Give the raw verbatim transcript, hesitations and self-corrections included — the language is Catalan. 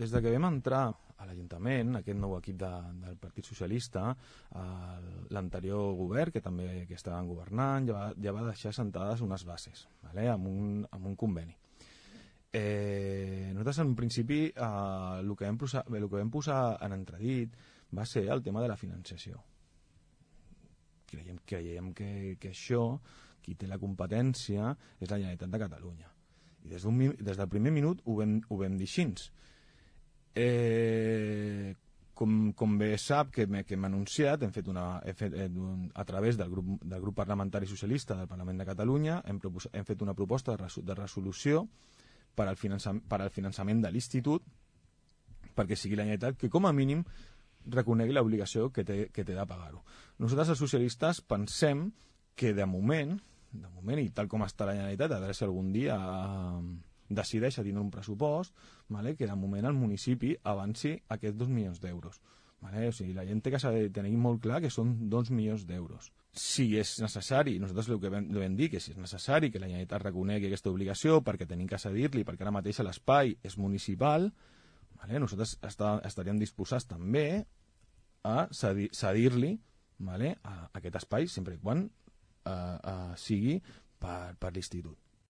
des de que vam entrar a l'Ajuntament, aquest nou equip de, del Partit Socialista, l'anterior govern, que també que estaven governant, ja va, ja va deixar sentades unes bases, vale? amb, un, amb un conveni. Eh, nosaltres en un principi eh, el, que vam posar, el que vam posar en entredit va ser el tema de la financiació. Creiem, creiem que, que això, qui té la competència, és la Generalitat de Catalunya. I des, des del primer minut ho vam, ho vam dir així. Eh, com, com bé sap que hem anunciat, hem fet una, hem fet, un, a través del grup, del grup parlamentari socialista del Parlament de Catalunya, hem, propos, hem fet una proposta de, resol, de resolució per al, finançament, per al finançament de l'Institut, perquè sigui la Generalitat que com a mínim reconegui l'obligació que té, que té de pagar-ho. Nosaltres els socialistes pensem que de moment, de moment i tal com està la Generalitat, a veure si algun dia eh, decideix a tindre un pressupost, vale, que de moment el municipi avanci aquests dos milions d'euros. Vale? O sigui, la gent té que saber tenir molt clar que són dos milions d'euros. Si és necessari, nosaltres el que vam, vam dir, que si és necessari que la Generalitat reconegui aquesta obligació perquè tenim que cedir-li, perquè ara mateix l'espai és municipal, vale? Nosaltres està, estaríem disposats també a cedir-li cedir vale? a aquest espai sempre i quan eh, eh, sigui per, per l'Institut.